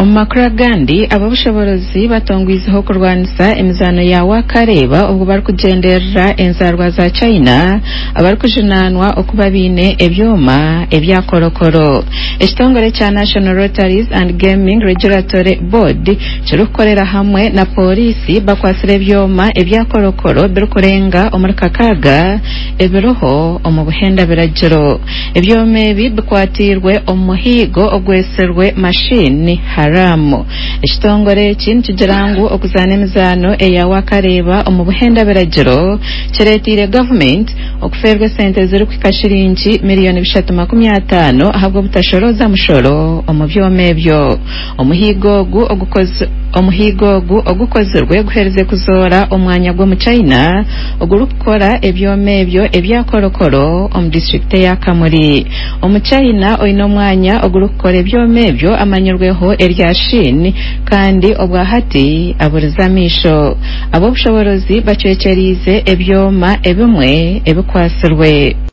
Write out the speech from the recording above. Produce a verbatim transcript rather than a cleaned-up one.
Omu makuru agandi, ab'obushoboorozi batongwizeho okurwanisa emizaano ya Wakareba obwo barikugyenderera enzarwa za China abarikujunaanwa okuba baine ebyoma ebya korokoro. Ekitongore kya National Lotteries and Gaming Regulatory Board kirikukorera hamwe na pooriisi bakwatsire ebyoma ebya korokoro birikurenga omuri kakaaga ebiriho omu buhenda biragiro. Ebyoma ebi bikwatiirwe omu muhiigo ogwetsirwe Machine Haram. Ekitongore eki nikigira ngu okuzaana emizaano eya Wakareba omu buhenda biragiro kireeteire gavumenti okufeerwa esente zirikuhika shiringi miliyoni bishatu makumi ataano ahabw'obutashoroza mushoro omu byoma ebyo. Omuhiigo ogu ogukozi omuhiigo ogu ogukozirwe guherize kuzoora omwanya gw'omuchina ogurikukora ebyoma ebyo ebya korokoro omu disitulikiti eya Kamuri. Omuchina oine omwanya ogurikukora ebyoma ebyo amanyirweho erya Shin kandi obwahati aburize amaisho. Ab'obushoboorozi bacwekyeriize ebyoma ebimwe ebikwatsirwe.